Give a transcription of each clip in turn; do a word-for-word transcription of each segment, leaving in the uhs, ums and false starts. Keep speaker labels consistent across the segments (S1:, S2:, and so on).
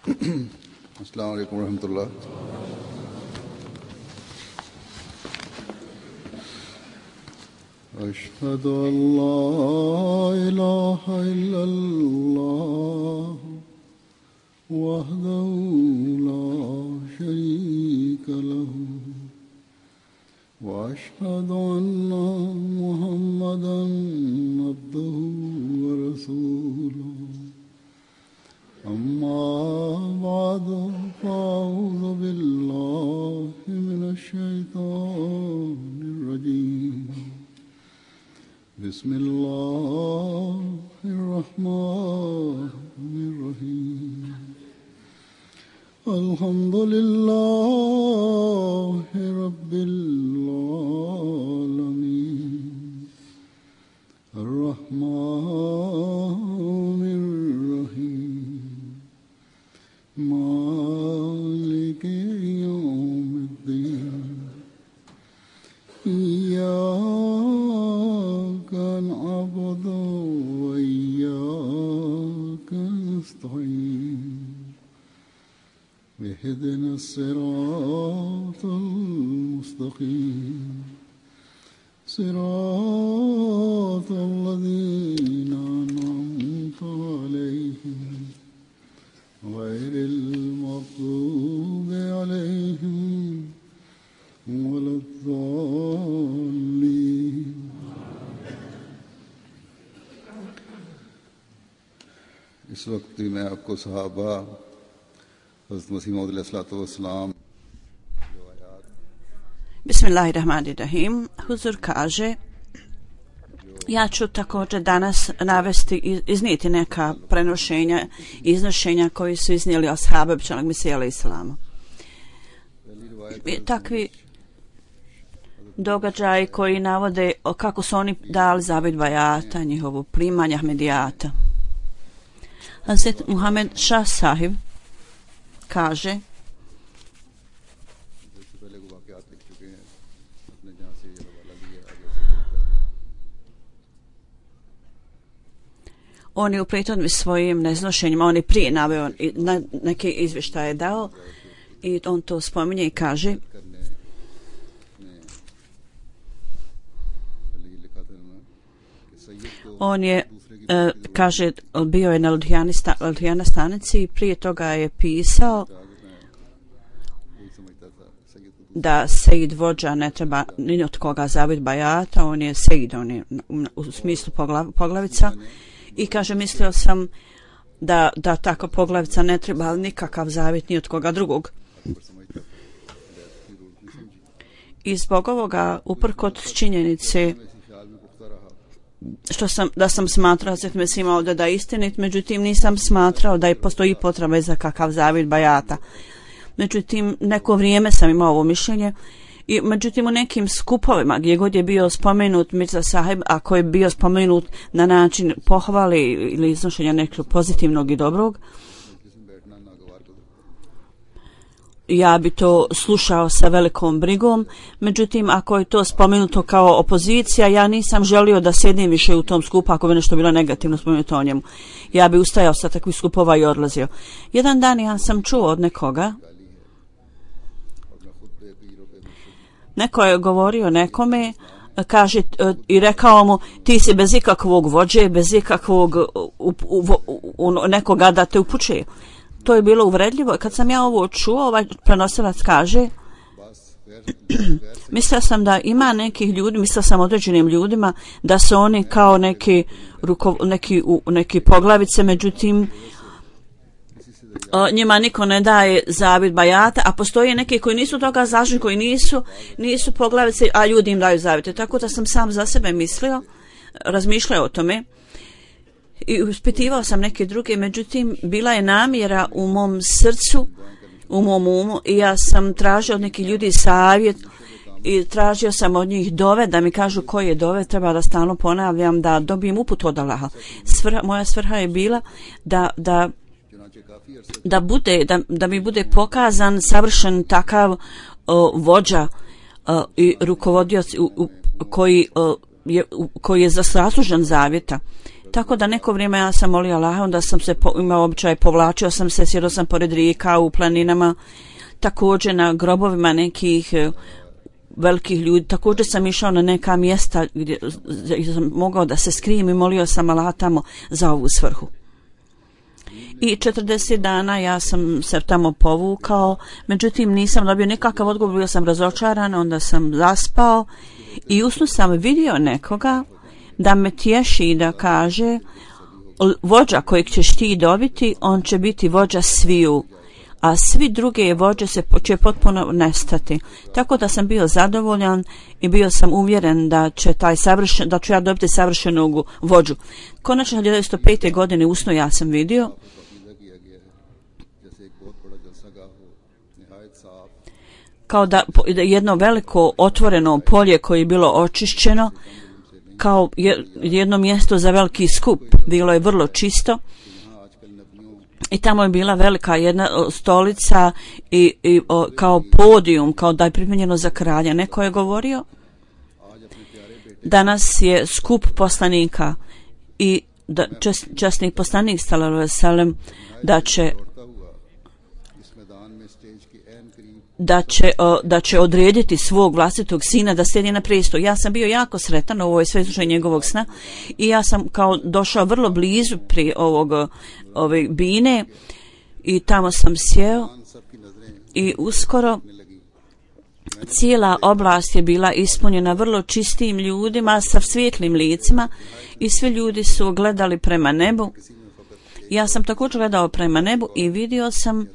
S1: अस्सलाम वालेकुम रहमतुल्लाह। अशहदु अल्ला इलाहा इल्लल्लाह वहदहु ला शरीका लहु व अशहदु अन्ना मुहम्मदन अब्दुहु व रसूलुहु। अम्मा बादु फ़अऊज़ु बिल्लाहि मिनश शैतानिर रजीम। बिस्मिल्लाहिर रहमानिर रहीम। अल्हम्दुलिल्लाहि रब्बिल आलमीन अर्रहमानिर रहीम मालिकि यौमिद्दीन। इय्याका नअबुदु व इय्याका नस्तईन। इहदिनस सिरातल मुस्तक़ीम सिरातल लज़ीना अनअमता अलैहिम गैरिल मग़ज़ूबि अलैहिम वलद्दाल्लीन। इस वक्त भी मैं आपको सहाबा हज़रत मसीह मौऊद अलैहिस्सलाम
S2: Bismillahirrahmanirrahim. Huzur kaže, ja ću također danas navesti, iznijeti neka prenošenja, iznošenja koji su iznijeli ashabi obećanog Mesije alejhi selam. Takvi događaji koji navode kako su oni dali zavet bajata, njihovu primanje Ahmedijata. Hazret Muhammed Šah sahib kaže, on je u prethodnim svojim neznošenjima, on je prije naveo neke izvještaje dao i on to spominje i kaže, on je e, kaže, bio je na Ludhijana stanici i prije toga je pisao da Sejid vođa ne treba ni od koga zavet bajata, on je Sejid, on je u smislu poglav, poglavica. I kaže, mislio sam da, da tako poglavica ne treba nikakav zavjet ni od koga drugog. I zbog ovoga, uprkos činjenice što sam, da sam smatrao da se ima ovdje da je istinit, međutim nisam smatrao da je postoji potreba za kakav zavjet bajata. Međutim, neko vrijeme sam imao ovo mišljenje. I međutim u nekim skupovima gdje god je bio spomenut Mirza sahib, ako je bio spomenut na način pohvale ili iznošenja nekog pozitivnog i dobrog, ja bi to slušao sa velikom brigom. Međutim, ako je to spomenuto kao opozicija, ja nisam želio da sjedim više u tom skupu ako bi nešto bilo negativno spomenuto o njemu. Ja bi ustajao sa takvih skupova i odlazio. Jedan dan ja sam čuo od nekoga, neko je govorio nekome, kaže i rekao mu, ti si bez ikakvog vođe, bez ikakvog u, u, u, nekoga da te upućuje. To je bilo uvredljivo. Kad sam ja ovo čuo, ovaj prenosilac kaže, mislio sam da ima nekih ljudi, mislio sam određenim ljudima da su oni kao neki, ruko, neki, u, neki poglavice, međutim O, njima niko ne daje zavet bajata, a postoje neki koji nisu toga zažni, koji nisu nisu poglavice, a ljudi im daju zavete. Tako da sam sam za sebe mislio, razmišljao o tome i uspitivao sam neke druge, međutim bila je namjera u mom srcu, u mom umu, i ja sam tražio od nekih ljudi savjet i tražio sam od njih dove, da mi kažu koje dove treba da stalno ponavljam, da dobijem uput od Allaha. Svrha, moja svrha je bila da da da bude da, da mi bude pokazan savršen takav o, vođa o, i rukovodioc u, u, koji o, je u, koji je zaslužan zavjeta. Tako da neko vrijeme ja sam molio Allaha, onda sam se po, imao običaj, povlačio sam se, sjedio sam pored rijeka u planinama, također na grobovima nekih e, velikih ljudi, također sam išao na neka mjesta gdje, gdje sam mogao da se skrijem i molio sam Allaha tamo za ovu svrhu. I četrdeset dana ja sam se tamo povukao, međutim nisam dobio nikakav odgovor, bio sam razočaran, onda sam zaspao i usnu sam vidio nekoga da me tješi i da kaže vođa kojeg ćeš ti dobiti, on će biti vođa sviju, a svi druge vođe se će potpuno nestati. Tako da sam bio zadovoljan i bio sam uvjeren da će taj savršen, da ću ja dobiti savršenog vođu. Konačno hiljadu devetsto pete. godine usno ja sam vidio kao da jedno veliko otvoreno polje koje je bilo očišćeno, kao jedno mjesto za veliki skup, bilo je vrlo čisto i tamo je bila velika jedna stolica i, i o, kao podijum, kao da je pripremljeno za kralja. Neko je govorio, danas je skup poslanika i da, čas, časni poslanik sallallahu alejhi ve sellem da će da će, o, da će odrediti svog vlastitog sina da sjedi na prestolu. Ja sam bio jako sretan, ovo je sve slučaj njegovog sna i ja sam kao došao vrlo blizu pri ovog ove bine i tamo sam sjeo i uskoro cijela oblast je bila ispunjena vrlo čistim ljudima sa svijetlim licima i svi ljudi su gledali prema nebu. Ja sam također gledao prema nebu i vidio sam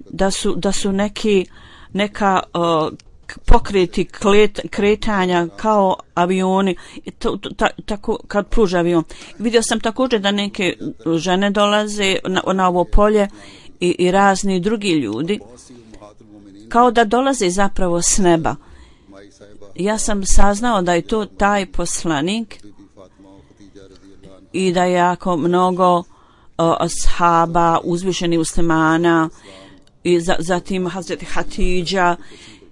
S2: da su, da su neki, neka uh, pokreti klet, kretanja kao avioni, to, to, ta, tako kad pruža avion. Vidio sam također da neke žene dolaze na, na ovo polje i, i razni drugi ljudi, kao da dolaze zapravo s neba. Ja sam saznao da je to taj poslanik i da je jako mnogo uh, ashaba, uzvišenih muslimana, i za, zatim Hazreti Hatidža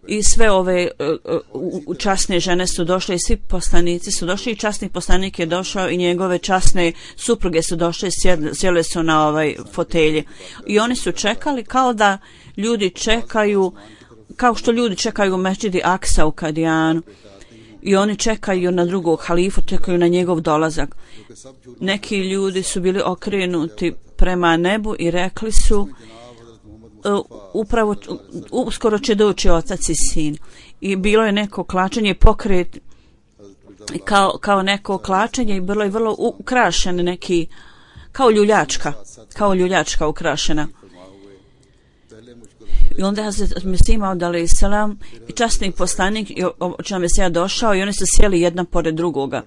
S2: i sve ove uh, časne žene su došle i svi poslanici su došli i časni poslanik je došao i njegove časne supruge su došle i sjele su na ovaj fotelje i oni su čekali kao da ljudi čekaju, kao što ljudi čekaju u Mesdžidi Aksa u Kadijanu i oni čekaju na drugog halifu, čekaju na njegov dolazak. Neki ljudi su bili okrenuti prema nebu i rekli su Uh, upravo uh, uskoro će doći otac i sin i bilo je neko klačenje pokret kao, kao neko klačenje i bilo je vrlo ukrašen neki kao ljuljačka kao ljuljačka ukrašena i onda je Mesih alejhi selam i časni poslanik i očima Mesija došao i oni su sjeli jedna pored drugoga.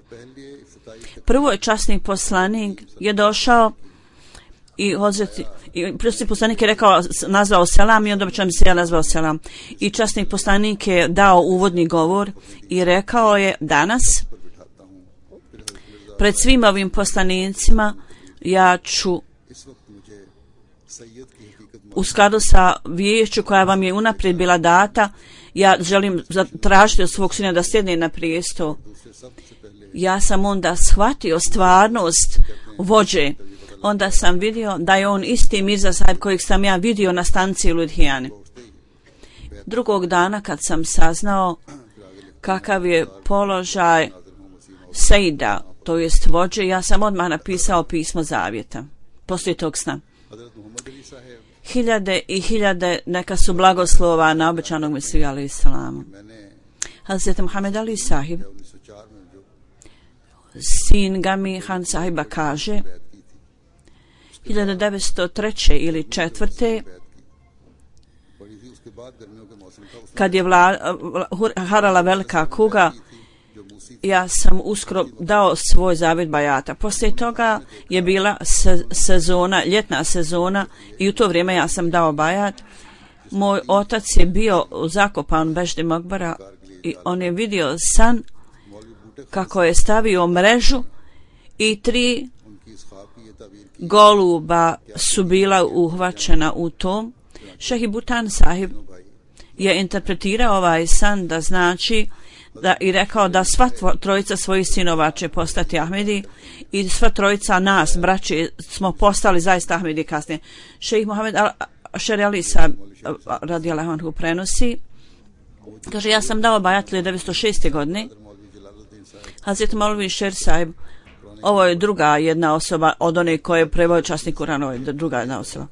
S2: Prvo je časni poslanik je došao i Hazreti i časni poslanik je rekao, nazvao selam i onda obično se ja nazvao selam. I časni poslanik je dao uvodni govor i rekao je danas pred svim ovim poslanicima ja ću u skladu sa viješću koja vam je unaprijed bila data, ja želim tražiti od svog sina da sjedne na prijestol. Ja sam onda shvatio stvarnost vođe. Onda sam vidio da je on isti Mirza Sahib kojeg sam ja vidio na stanci Ludhijane. Drugog dana kad sam saznao kakav je položaj Sejda, to jest vođe, ja sam odmah napisao pismo zavjeta poslije tog sna. Hiljade i hiljade neka su blagoslova na obećanog Mesiju alejhi selam. Hazreti Muhammed Ali Sahib, sin Gami Han Sahiba, kaže hiljadu devetsto treće ili četvrte kad je vla, harala velika kuga, ja sam uskoro dao svoj zavjet bajata. Poslije toga je bila se, sezona, ljetna sezona i u to vrijeme ja sam dao bajat. Moj otac je bio zakopan u Beždi Makbara i on je vidio san kako je stavio mrežu i tri goluba su bila uhvaćena u tom. Šehi Butan Sahib je interpretirao ovaj san da znači da, i rekao da sva trojica svojih sinova će postati Ahmedi i sva trojica nas, braći, smo postali zaista Ahmedi kasnije. Šejh Mohamed Šer Ali Sahib radijallahu anhu prenosi, kaže, ja sam dao bajat hiljadu devetsto šeste. godine. Hazret Maulvi Šer Sahib, ovo je druga jedna osoba od one koje je preveo časni Kuran, ovo je druga jedna osoba.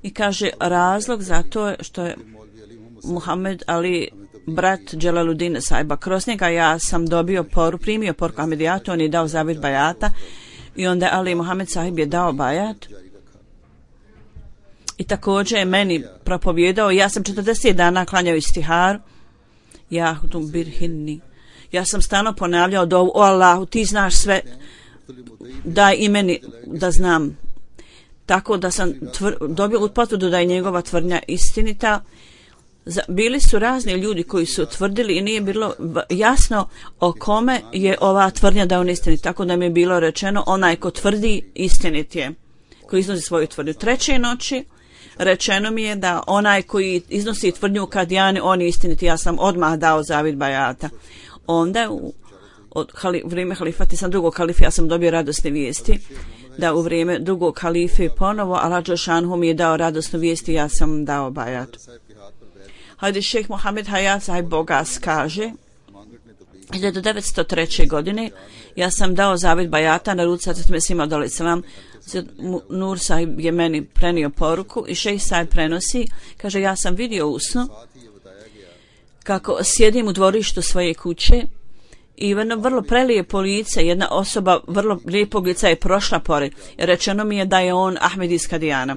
S2: I kaže, razlog za to je što je Muhammed Ali, brat Dželaluddin Sahiba, kroz njega ja sam dobio poru, primio poruku Ahmedijatu, on je dao zavjet bajata i onda Ali Muhammed Sahib je dao bajat i također je meni propovjedao. Ja sam četrdeset dana klanjao istihar, ja hudum birhinni, ja sam stalno ponavljao dovu, o Allahu, ti znaš sve, daj i meni da znam. Tako da sam tvr, dobio potvrdu da je njegova tvrdnja istinita. Za, bili su razni ljudi koji su tvrdili i nije bilo jasno o kome je ova tvrdnja da on istinit. Tako da mi je bilo rečeno, onaj ko tvrdi istinit je, koji iznosi svoju tvrdnju. Treće noći rečeno mi je da onaj koji iznosi tvrdnju u Kadijani, on je istinit. Ja sam odmah dao zavjet bajata. Onda u od hali, vrijeme halifati sam drugog halife, ja sam dobio radosne vijesti da u vrijeme drugog halife ponovo Allah Đelšanhu mi je dao radosnu vijesti, ja sam dao bajat. Hajde šejh Mohamed Hayat Sahib Bogas kaže, hiljadu devetsto treće. godine ja sam dao zavjet bajata na ruci Hazret Mesih Maud alejhi selam. Nur Sahib je meni prenio poruku i šejh Sahib prenosi, kaže, ja sam vidio u snu kako sjedim u dvorištu svoje kuće i jedno vrlo prelijepo lice, jedna osoba vrlo lijepog lica je prošla pored. Rečeno mi je da je on Ahmed iz Kadijana.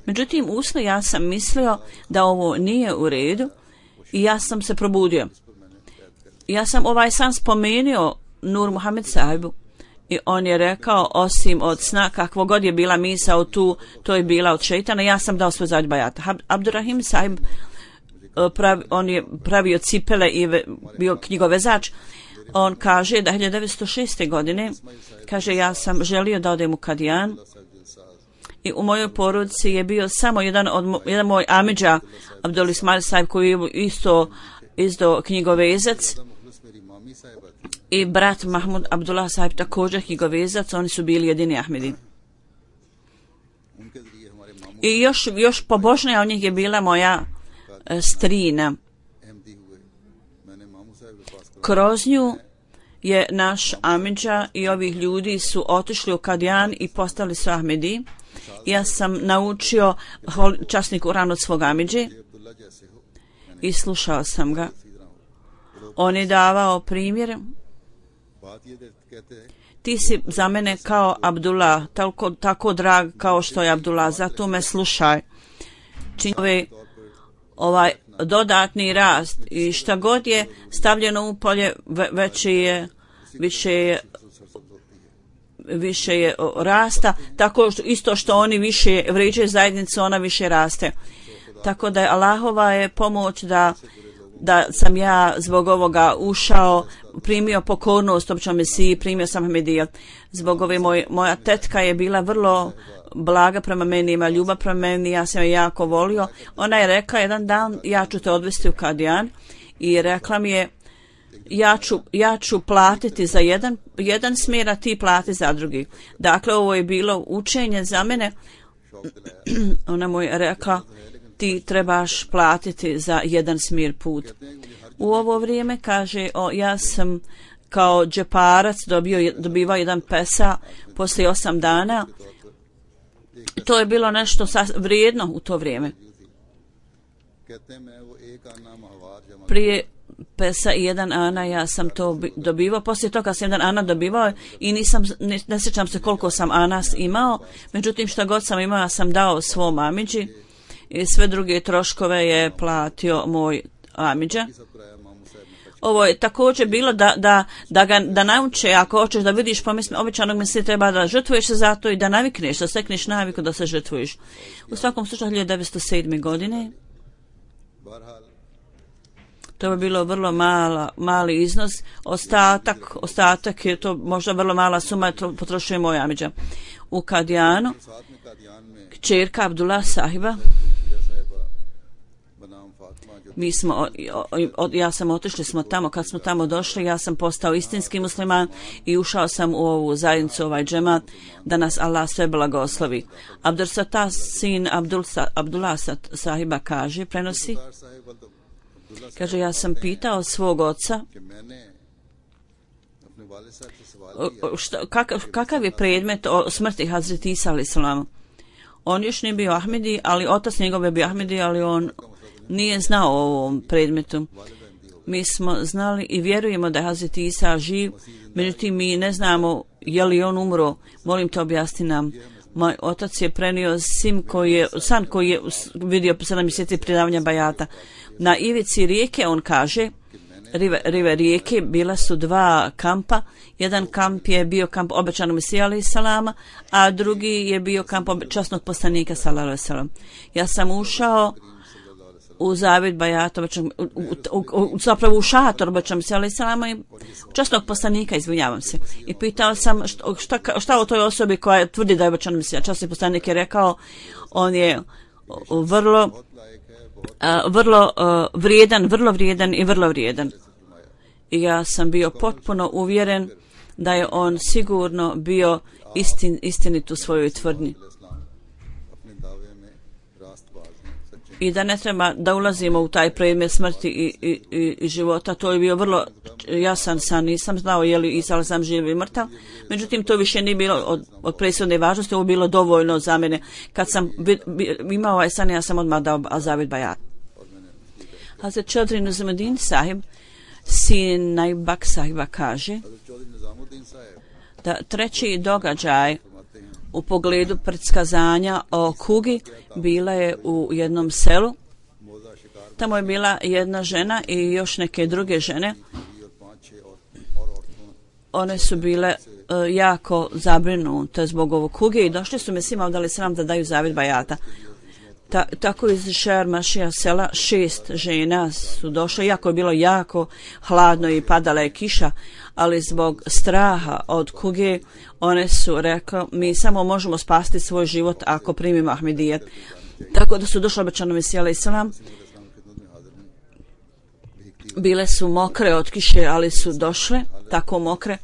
S2: Međutim, usno ja sam mislio da ovo nije u redu i ja sam se probudio. Ja sam ovaj san spomenuo Nur Muhammed Sahibu i on je rekao, osim od sna, kakvo god je bila misao tu, to je bila od šeitana, ja sam dao svoj zavjet bajata. Abdurrahim Sahib, pravi, on je pravio cipele i ve, bio knjigovezač. On kaže da hiljadu devetsto šeste. godine, kaže, ja sam želio da odem u Kadijan i u mojoj porodici je bio samo jedan od jedan moj amidža Abdul Ismail Sahib koji je isto izdao knjigovezac i brat Mahmud Abdullah Sahib također knjigovezac, oni su bili jedini Ahmedi. I još, još pobožnija od njih je bila moja e, strina. Kroz nju je naš amidža i ovih ljudi su otišli u Kadijan i postali su Ahmedi. Ja sam naučio časni Kuran od svog amidže i slušao sam ga. On je davao primjer. Ti si za mene kao Abdullah, tako, tako drag kao što je Abdullah, zato me slušaj. Čini ovaj, ovaj dodatni rast i šta god je stavljeno u polje, veće je, više je, više je rasta, tako što, isto što oni više vrijeđaju zajednicu, ona više raste. Tako da je Allahova je pomoć da da sam ja zbog ovoga ušao, primio pokornost općom Mesiji, primio sam Ahmedijat. Zbog ove moj, moja tetka je bila vrlo blaga prema meni, ima ljubav prema meni, ja sam je jako volio. Ona je rekla jedan dan, ja ću te odvesti u Kadijan i rekla mi je, ja ću, ja ću platiti za jedan, jedan smjer, a ti plati za drugi. Dakle, ovo je bilo učenje za mene. Ona mu je rekla, ti trebaš platiti za jedan smjer put. U ovo vrijeme, kaže, o, ja sam kao džeparac dobio, dobivao jedan pesa poslije osam dana. To je bilo nešto vrijedno u to vrijeme. Prije pesa i jedan ana ja sam to dobivao, poslije toga sam jedan ana dobivao i nisam, ne, ne sjećam se koliko sam anas imao, međutim šta god sam imao ja sam dao svom amidži i sve druge troškove je platio moj amidža. Ovo je također bilo da, da, da ga da nauče, ako hoćeš da vidiš pomisli, običanog misli treba da žrtvuješ se za to i da navikneš, da stekneš naviku da se žrtvuješ. U svakom slučaju hiljadu devetsto sedme. godine to je bilo vrlo mala, mali iznos, ostatak, ostatak je to možda vrlo mala suma, potrošuje moj amidža. U Kadijanu kćerka Abdullah Sahiba Mi smo, o, o, ja sam otišli smo tamo, kad smo tamo došli, ja sam postao istinski musliman i ušao sam u ovu zajednicu, ovaj džemat, da nas Allah sve blagoslovi. Abdul Sattar, sin Abdul, Abdullah sahiba kaže, prenosi, kaže, ja sam pitao svog oca, šta, kakav, kakav je predmet o smrti Hazreti Isa alejhi selam. On još nije bio Ahmedi, ali otac njegove bio Ahmedi, ali on nije znao o ovom predmetu. Mi smo znali i vjerujemo da je Hazreti Isa živ, međutim mi ne znamo je li on umro. Molim te objasni nam. Moj otac je prenio sim koji je, san koji je vidio po sedam mjeseci predavanja bajata. Na ivici rijeke, on kaže, rive, rive rijeke, bila su dva kampa. Jedan kamp je bio kamp obećanog Mesija alejhi salama, a drugi je bio kamp časnog poslanika sallallahu alejhi ve sellem. Ja sam ušao u zavjet bajata, u, u, u, zapravo u šator obećanog Mesija alejhi salama i časnog poslanika, izvinjavam se. I pitao sam šta, šta, šta o toj osobi koja tvrdi da je obećanog Mesija. Časni poslanik je rekao, on je vrlo Uh, vrlo uh, vrijedan, vrlo vrijedan i vrlo vrijedan. I ja sam bio potpuno uvjeren da je on sigurno bio istin, istinit u svojoj tvrdnji. I da ne treba da ulazimo u taj predmet smrti i, i, i, i života. To je bio vrlo jasan san. Nisam znao je li Isa alejhi selam živ i mrtav. Međutim, to više nije bilo od, od presudne važnosti. Ovo bilo dovoljno za mene. Kad sam bi, bi, imao ovaj san, ja sam odmah dao zavjet bajat. Hazret Čodri Nizamuddin sahib, sin Najbak sahiba, kaže da treći događaj u pogledu predskazanja o kugi bila je u jednom selu. Tamo je bila jedna žena i još neke druge žene. One su bile uh, jako zabrinute zbog ovog kuge i došli su Mesih Maud alejhi selam da daju zavjet bajata. Ta, tako iz Šer Mašija sela šest žena su došle, iako je bilo jako hladno i padala je kiša, ali zbog straha od kuge one su rekle, mi samo možemo spasti svoj život ako primimo Ahmedijet. Tako da su došle obećanom Mesiju alejhi selam. Bile su mokre od kiše, ali su došle tako mokre.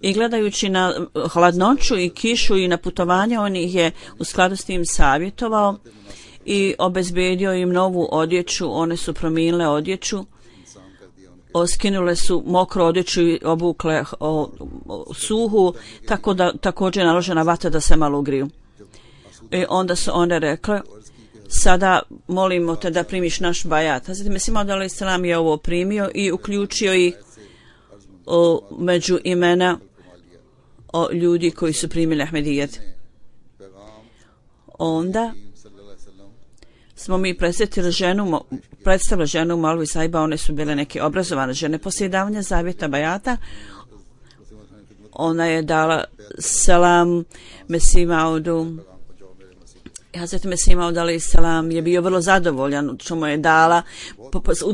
S2: I gledajući na hladnoću i kišu i na putovanje, on ih je u skladu s tim savjetovao i obezbedio im novu odjeću. One su promijenile odjeću, oskinule su mokru odjeću i obukle o, o, suhu, tako da također je naložena vatra da se malo ugriju. I onda su one rekle, sada molimo te da primiš naš bajat. Hazreti Mesih Maud alejhi selam je ovo primio i uključio ih o, među imena o ljudi koji su primili Ahmedijet. Onda smo mi predstavili ženu, predstavili ženu Malvi sahiba, one su bile neke obrazovane žene. Poslije davanja zavjeta bajata, ona je dala selam Mesih Maudu. Hazreti Mesih Maud alejhi selam je bio vrlo zadovoljan što mu je dala,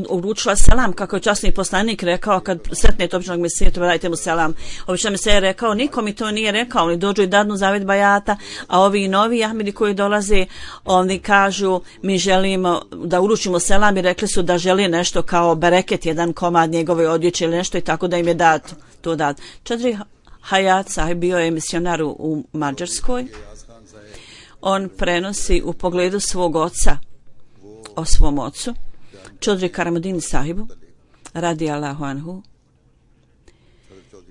S2: uručila selam, kako je časni poslanik rekao kad sretnete običnog Mesija, to dajte mu selam. Obično Mesija je rekao, niko mi to nije rekao, oni dođu i dadnu zavjet bajata, a ovi novi Ahmedi koji dolaze, oni kažu, mi želimo da uručimo selam i rekli su da želi nešto kao bereket, jedan komad njegove odjeće ili nešto i tako da im je dat, to dat. Čadri Hayat sahib bio je misionar u Mađarskoj. On prenosi u pogledu svog oca o svom ocu, Čodri Karamuddin sahibu, radi Allahu anhu.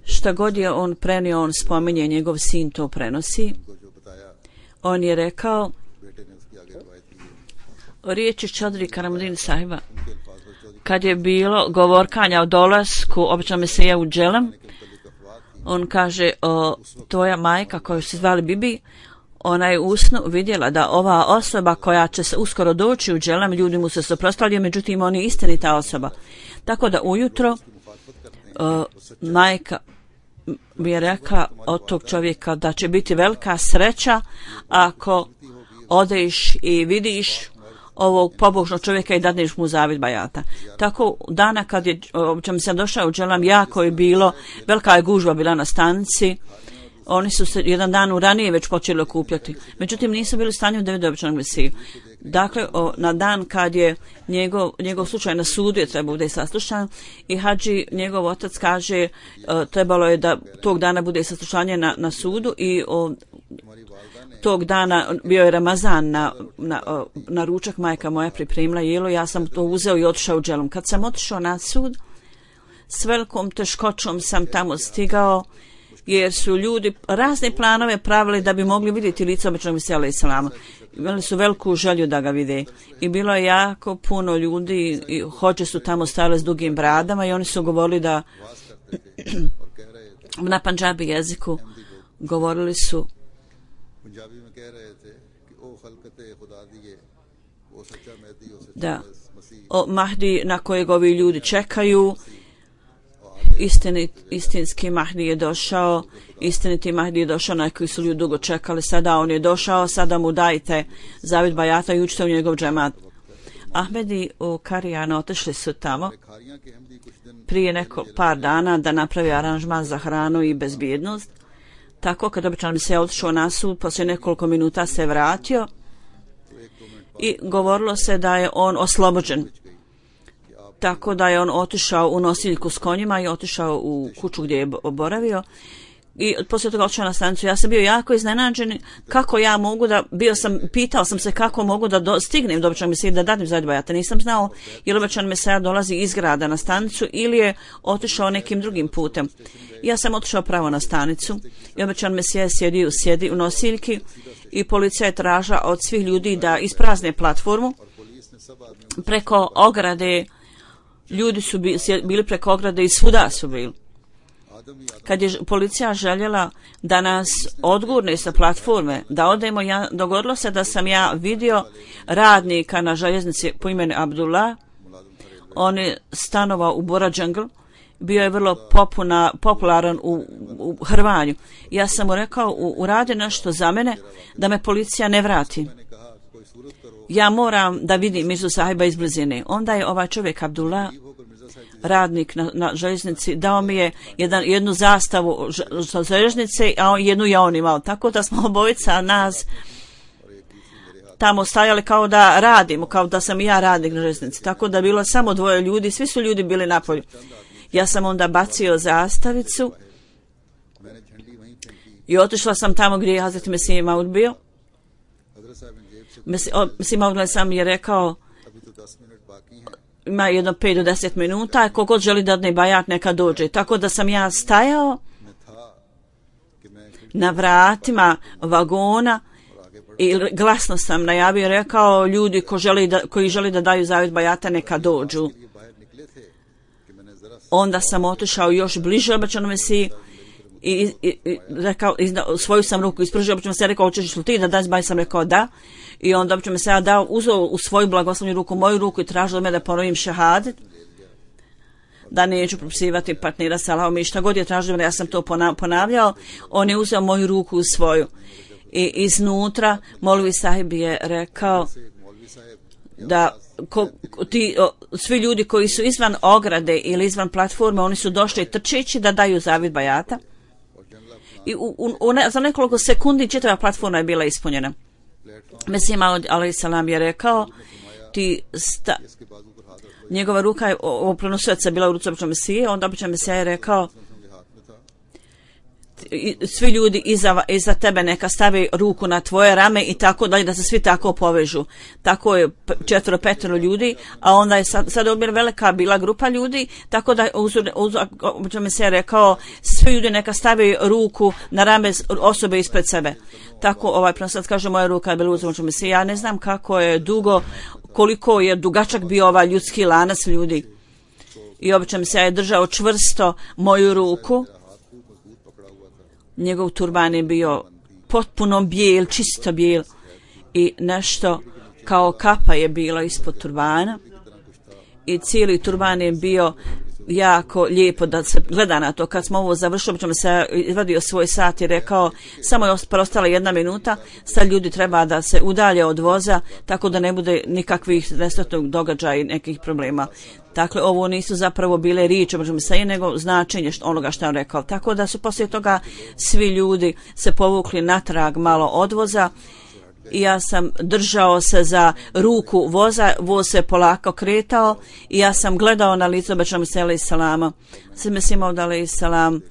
S2: Šta god je on prenio, on spominje, njegov sin to prenosi. On je rekao, riječi Čodri Karamuddin sahiba, kad je bilo govorkanja o dolasku običnog Mesija u Dželem, on kaže, o, tvoja majka koju se zvali Bibi, ona je u snu vidjela da ova osoba koja će se uskoro doći u Dželem, ljudi mu se suprotstavljaju, međutim on je istinita osoba. Tako da ujutro uh, majka bi je rekla od tog čovjeka da će biti velika sreća ako odeš i vidiš ovog pobožnog čovjeka i dadneš mu zavjet bajata. Tako dana kad je obično sam došao u Dželem, jako je bilo, velika je gužva bila na stanici. Oni su se jedan dan u ranije već počeli okupljati. Međutim, nisu bili u stanju da vide običnog Mesiju. Dakle, o, na dan kad je njegov, njegov slučaj na sudu je trebao bude saslušan i hadži, njegov otac kaže o, trebalo je da tog dana bude saslušanje na, na sudu i o, tog dana bio je Ramazan na, na, o, na ručak, majka moja pripremila jelo, ja sam to uzeo i otišao u dželom. Kad sam otišao na sud, s velikom teškoćom sam tamo stigao, jer su ljudi razne planove pravili da bi mogli vidjeti lice običnog Mesija alejhi selama. Imali su veliku želju da ga vide. I bilo je jako puno ljudi i hođe su tamo stajale s dugim bradama i oni su govorili da na pandžabi jeziku govorili su da o Mahdi na kojeg ovi ljudi čekaju. Istinit, istinski Mahdi je došao, istiniti Mahdi je došao na koji su ljudi dugo čekali, sada on je došao, sada mu dajte zavid bajata i učite u njegov džemat. Ahmedi u Karijanu otišli su tamo prije neko par dana da napravi aranžman za hranu i bezbjednost. Tako kad obično bi se otišao na sud, poslije nekoliko minuta se vratio i govorilo se da je on oslobođen. Tako da je on otišao u nosiljku s konjima i otišao u kuću gdje je boravio i poslije toga otišao na stanicu. Ja sam bio jako iznenađen kako ja mogu da, bio sam, pitao sam se kako mogu da do, stignem do običnog Mesije da dadim zavid bajata. Nisam znao je li običan Mesija dolazi iz grada na stanicu ili je otišao nekim drugim putem. Ja sam otišao pravo na stanicu i običan Mesija sjedi u, sjedi u nosiljki i policija je tražila od svih ljudi da isprazne platformu preko ograde. Ljudi su bili preko ograde i svuda su bili. Kad je policija željela da nas odgurne sa platforme, da odemo, ja, dogodilo se da sam ja vidio radnika na željeznici po imenu Abdullah. On je stanovao u Bora Džungl, bio je vrlo popuna, popularan u, u Hrvanju. Ja sam mu rekao, uradi nešto za mene da me policija ne vrati. Ja moram da vidim Mirzu sahiba iz blizine. Onda je ovaj čovjek Abdullah, radnik na, na željeznici, dao mi je jedan, jednu zastavu sa željeznice, a jednu je on imao. Tako da smo obojica nas tamo stajali kao da radimo, kao da sam i ja radnik na željeznici. Tako da bilo samo dvoje ljudi, svi su ljudi bili napolju. Ja sam onda bacio zastavicu i otišla sam tamo gdje je Hazreti Mesih Maud bio. Mesih Maud sam je rekao ima jedno pet do deset minuta, kogod želi da ne bajat neka dođe. Tako da sam ja stajao na vratima vagona i glasno sam najavio, rekao ljudi ko želi da, koji želi da daju zavid bajata neka dođu. Onda sam otišao još bliže obećanom Mesiji i, i, i rekao, izna, svoju sam ruku ispružio, obično se rekao, hoćeš li ti da daš baj, sam rekao da. I onda obično se ja dao, uzeo u svoju blagoslovnu ruku, moju ruku i tražio od mene da ponovim šehadet, da neću propisivati partnera sa Allahom i šta god je tražio, ja sam to ponavljao. On je uzeo moju ruku u svoju i iznutra Molvi sahib je rekao da ko, ti, o, svi ljudi koji su izvan ograde ili izvan platforme, oni su došli trčeći da daju zavid bajata i u, u, u ne, za nekoliko sekundi čitava platforma je bila ispunjena. Mesih Maud alejhi selam je rekao ti sta, njegova ruka je ovo prenosilaca bila u ruci običnog Mesije, onda običnog Mesija je rekao svi ljudi iza, iza tebe neka stavi ruku na tvoje rame i tako dalje, da se svi tako povežu. Tako je četvero, petero ljudi, a onda je sad, sad je velika bila grupa ljudi, tako da obično mi se rekao svi ljudi neka stavi ruku na rame osobe ispred sebe. Tako ovaj sad kaže moja ruka je bila uzmoćno mi se, ja ne znam kako je dugo, koliko je dugačak bio ovaj ljudski lanac ljudi. I obično mi se je držao čvrsto moju ruku. Njegov turban je bio potpuno bijel, čisto bijel i nešto kao kapa je bilo ispod turbana i cijeli turban je bio jako lijepo da se gleda na to. Kad smo ovo završili, ćemo se izvadio svoj sat i rekao samo je ostala jedna minuta, sad ljudi treba da se udalje od voza tako da ne bude nikakvih nesretnog događaja i nekih problema. Dakle, ovo nisu zapravo bile riječi, možemo se, nego značenje onoga što je on rekao. Tako da su poslije toga svi ljudi se povukli natrag malo odvoza i ja sam držao se za ruku voza, voz se polako kretao i ja sam gledao na lice obećanog Mesija alejhi selama. Sve Mesija Maud alejhi selam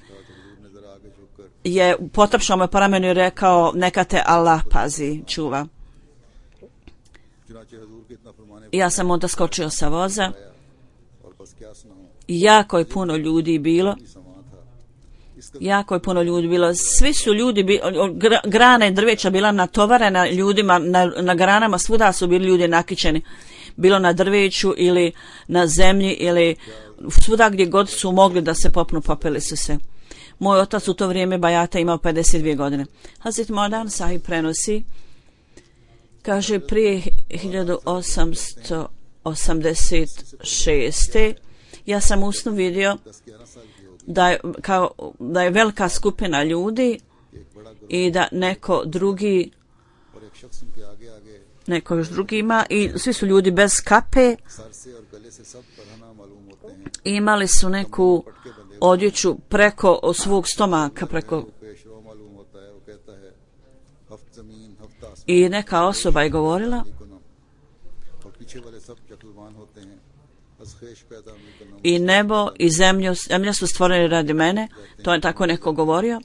S2: je potapšao me po ramenu i rekao neka te Allah pazi, čuva. Ja sam onda skočio sa voza. Jako je puno ljudi bilo. Jako je puno ljudi bilo. Svi su ljudi, bi, grane drveća bila natovarena ljudima, na, na granama svuda su bili ljudi nakićeni. Bilo na drveću ili na zemlji ili svuda gdje god su mogli da se popnu, popeli su se. Moj otac u to vrijeme bajata imao pedeset dvije godine. Hazret Modan Sahib prenosi, kaže, prije hiljadu osamsto osamdeset šeste. ja sam usnu vidio da je, kao, da je velika skupina ljudi i da neko drugi neko još drugi ima i svi su ljudi bez kape i imali su neku odjeću preko svog stomaka, preko i neka osoba je govorila i nebo i zemlju, zemlja su stvorene radi mene, to je tako neko govorio,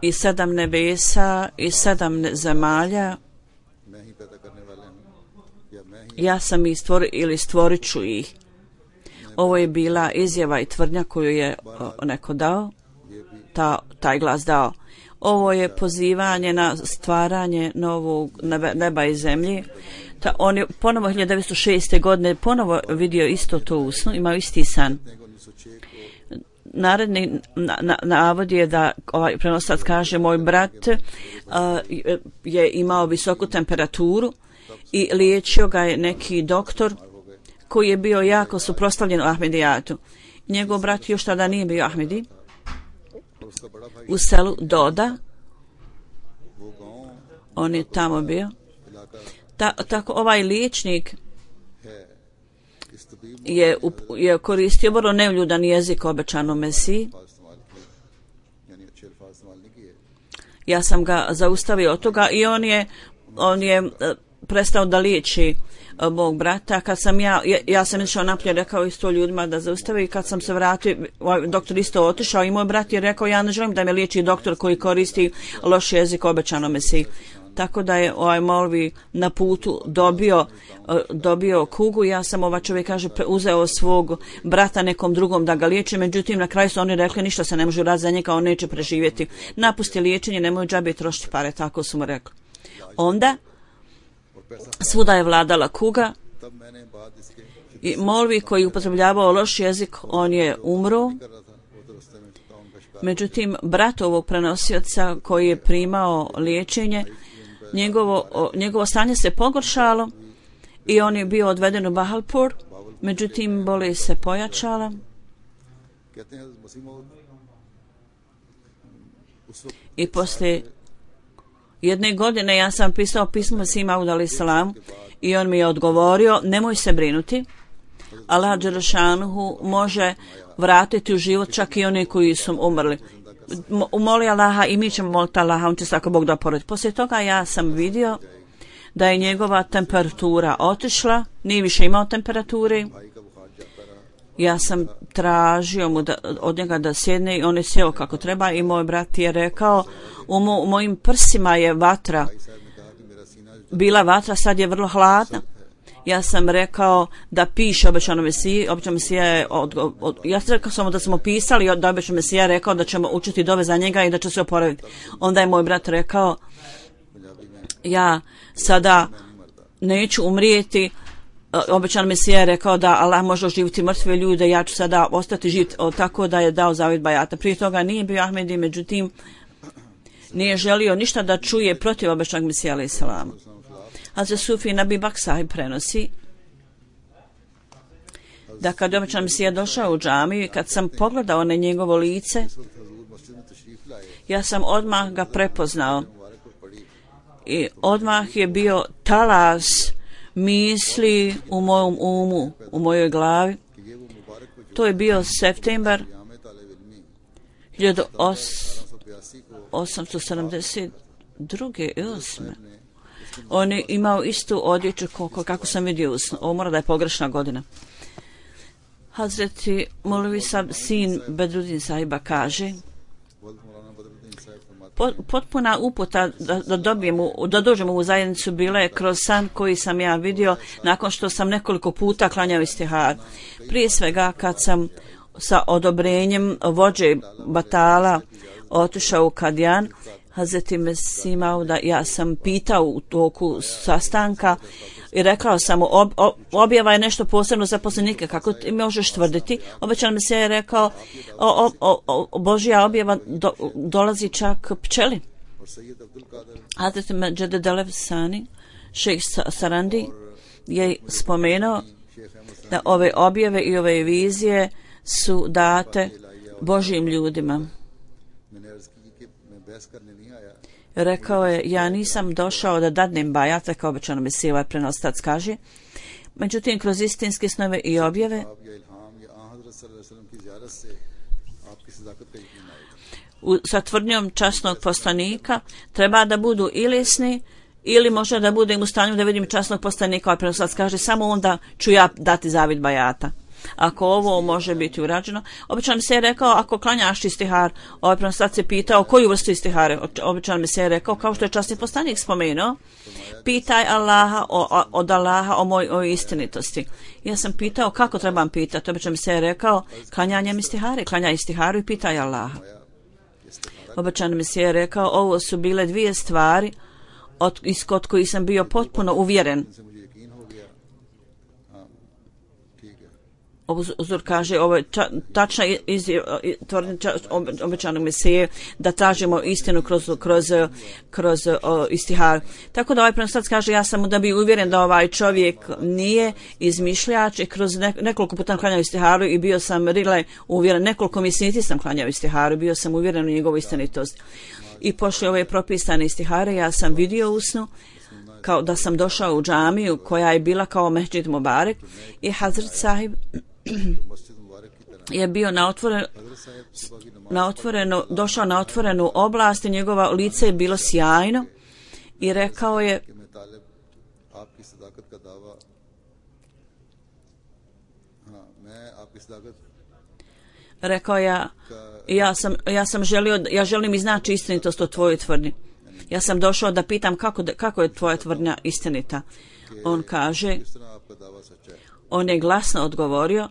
S2: i sedam nebesa i sedam zemalja, ja sam ih stvorio ili stvorit ću ih. Ovo je bila izjava i tvrdnja koju je o, neko dao, ta, taj glas dao. Ovo je pozivanje na stvaranje novog neba, neba i zemlje. Ta, on je ponovo hiljadu devetsto šeste. godine ponovo vidio isto to u snu, imao isti san. Naredni na, na, navod je da ovaj prenosac kaže, moj brat uh, je imao visoku temperaturu i liječio ga je neki doktor koji je bio jako suprotstavljen u Ahmedijatu. Njegov brat još tada nije bio Ahmedi. U selu Doda, on je tamo bio. Ta, tako ovaj liječnik je, je koristio vrlo neuljudan jezik obećanom Mesiji. Ja sam ga zaustavio od toga i on je, on je prestao da liječi mog brata. Kad sam ja, ja, ja sam išao napolje, rekao isto ljudima da zaustavi, i kad sam se vratio, doktor isto otišao i moj brat je rekao, ja ne želim da me liječi doktor koji koristi loš jezik obećanom Mesiji. Tako da je ovaj molvi na putu dobio, dobio kugu. Ja sam, ova čovjek kaže, uzeo svog brata nekom drugom da ga liječi, međutim na kraju su oni rekli ništa se ne može raditi za njega, on neće preživjeti. Napusti liječenje, nemoj džabe trošiti pare, tako su mu rekli. Onda svuda je vladala kuga i molvi koji upotrebljavao loš jezik, on je umro. Međutim, brat ovog prenosioca koji je primao liječenje, njegovo, njegovo stanje se pogoršalo i on je bio odveden u Bahalpur, međutim bolest se pojačala. I poslije jedne godine ja sam pisao pismo Mesiji Maud alejhi selam i on mi je odgovorio, nemoj se brinuti, Allah dželešanuhu može vratiti u život čak i oni koji su umrli. Umoli Allaha i mi ćemo moliti Allaha, on će se ako Bog da poroditi. Poslije toga ja sam vidio da je njegova temperatura otišla, nije više imao temperature. Ja sam tražio mu da, od njega da sjedne i on je sjeo kako treba i moj brat je rekao, u, mo, u mojim prsima je vatra, bila vatra, sad je vrlo hladna. Ja sam rekao da piše obećano Mesiji, obećano Mesija je od, od, od, ja sam rekao samo da smo pisali da obećano Mesija rekao da ćemo učiti dove za njega i da će se oporaviti. Onda je moj brat rekao, ja sada neću umrijeti, obećano Mesija je rekao da Allah može oživiti mrtve ljude, ja ću sada ostati živ, tako da je dao zavjet bajata. Prije toga nije bio Ahmedi, međutim nije želio ništa da čuje protiv obećanog Mesija alejhi selam. Hazret Sufi Nabi Bak Sahib prenosi da kad je obećan Mesija došao u džamiju i kad sam pogledao na njegovo lice, ja sam odmah ga prepoznao i odmah je bio talas misli u mojom umu, u mojoj glavi. To je bio septembar hiljadu osamsto sedamdeset druge i osme. On je imao istu odjeću kako sam vidio u snu. Ovo mora da je pogrešna godina. Hazreti Molvi Sab, sin Bedruddin sahiba, kaže potpuna uputa da, da dobijemo, da dođemo u zajednicu bila je kroz san koji sam ja vidio nakon što sam nekoliko puta klanjao istihar. Prije svega kad sam sa odobrenjem vođe batala otišao u Kadjan, Hazreti Mesih Mauda, ja sam pitao u toku sastanka i rekao sam mu, ob, ob, objava je nešto posebno za poslanike, kako ti možeš tvrditi? Obećan mi se je rekao, o, o, o, Božja objava do, dolazi čak pčeli. Hazreti Međed Delev Sani, šejh Sarandi, je spomenuo da ove objave i ove vizije su date Božjim ljudima. Rekao je, ja nisam došao da dadnem bajat, kao običano mi se ovaj prenostac kaže. Međutim, kroz istinske snove i objave u, sa tvrdnjom časnog poslanika treba da budu ilesni ili može da budem u stanju da vidim časnog poslanika, ovaj prenostac kaže, samo onda ću ja dati zavid bajata. Ako ovo može biti urađeno. Običan mi se je rekao, ako klanjaš istihar, ovaj prenostac je pitao koju vrstu istihare. Običan mi se je rekao, kao što je časni poslanik spomenuo, pitaj Allaha o, o, od Allaha o mojoj o istinitosti. Ja sam pitao kako trebam pitati. Običan mi se je rekao, klanjanjem istihare, klanjaj istiharu i pitaj Allaha. Običan mi se je rekao, ovo su bile dvije stvari od, iz kod kojih sam bio potpuno uvjeren. Uzor kaže, ovo je ča, tačna tvrdnja obećanog Mesije da tražimo istinu kroz, kroz, kroz o, istihar. Tako da ovaj prenostac kaže, ja sam da bi uvjeren da ovaj čovjek nije izmišljač i kroz ne, nekoliko puta klanjao istiharu i bio sam rile uvjeren, nekoliko mjeseci sam klanjao istiharu, bio sam uvjeren u njegovu istinitost. I pošli ove propisane istihare, ja sam vidio u snu kao da sam došao u džamiju koja je bila kao Mehđid Mubarek i Hazret Sahib je bio na otvoreno, na otvoreno, došao na otvorenu oblast i njegova lice je bilo sjajno i rekao je rekao ja ja sam, ja sam želio, ja želim iznaći istinitost o tvojoj tvrdnji. Ja sam došao da pitam kako, kako je tvoja tvrdnja istinita. On kaže, on je glasno odgovorio,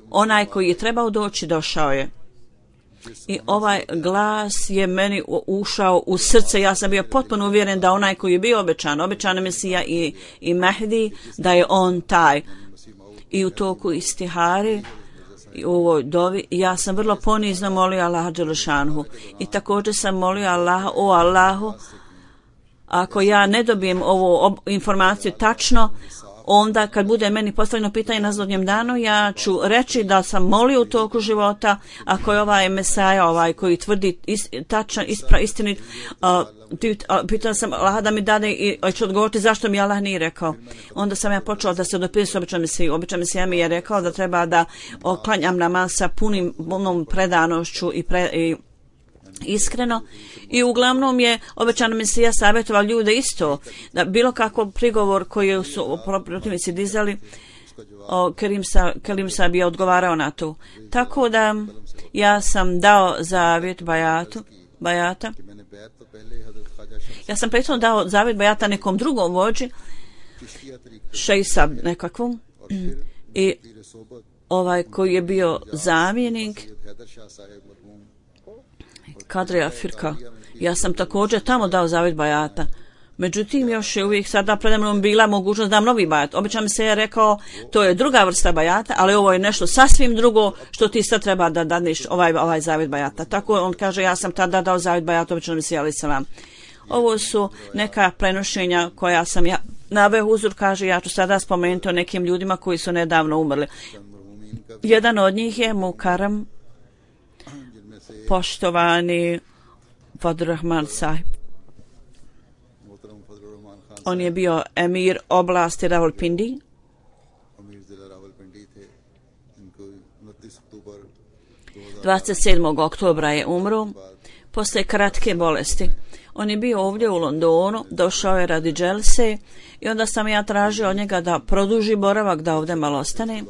S2: onaj koji je trebao doći došao je. I ovaj glas je meni ušao u srce, ja sam bio potpuno uvjeren da onaj koji je bio obećan, obećan Mesija i, i Mehdi, da je on taj. I u toku istihari i u ovoj dovi ja sam vrlo ponizno molio Allaha Đelešanhu i također sam molio Allaha, o Allahu, ako ja ne dobijem ovu informaciju tačno, onda kad bude meni postavljeno pitanje na zadnjem danu, ja ću reći da sam molio u toku života, ako je ovaj Mesaja, ovaj koji tvrdi is, tačan, ispra, istinit, uh, pitao sam Allah da mi dade i ću odgovoriti zašto mi Allah nije rekao. Onda sam ja počela da se odopirim s običan Mesiju. Običan Mesija mi je rekao da treba da oklanjam namaz sa punim, punom predanošću i, pre, i iskreno. I uglavnom je obećan Mesija savjetovao ljude isto, da bilo kakav prigovor koji su protivnici dizali, o, Kerim, sa, Kerim Sab je odgovarao na to. Tako da ja sam dao zavjet bajatu, bajata. Ja sam prethodno dao zavjet bajata nekom drugom vođi, šejsa nekakvom, i ovaj koji je bio zamjenik Kadrija Firka. Ja sam također tamo dao zavjet bajata. Međutim, još je uvijek sada predamnom bila mogućnost da dam novi bajat. Obično mi se je rekao, to je druga vrsta bajata, ali ovo je nešto sasvim drugo što ti sad treba da dadneš ovaj, ovaj zavjet bajata. Tako on kaže, ja sam tada dao zavjet bajata, obično mi se jeli salam. Ovo su neka prenošenja koja sam ja naveo. Uzor kaže, ja ću sada spomenuti o nekim ljudima koji su nedavno umrli. Jedan od njih je Mukaram, poštovani Fadl Rahman Sahib. On je bio emir oblasti Rawalpindi. dvadeset sedmog oktobra je umro poslije kratke bolesti. On je bio ovdje u Londonu, došao je radi dželse i onda sam ja tražio od njega da produži boravak, da ovdje malo ostane.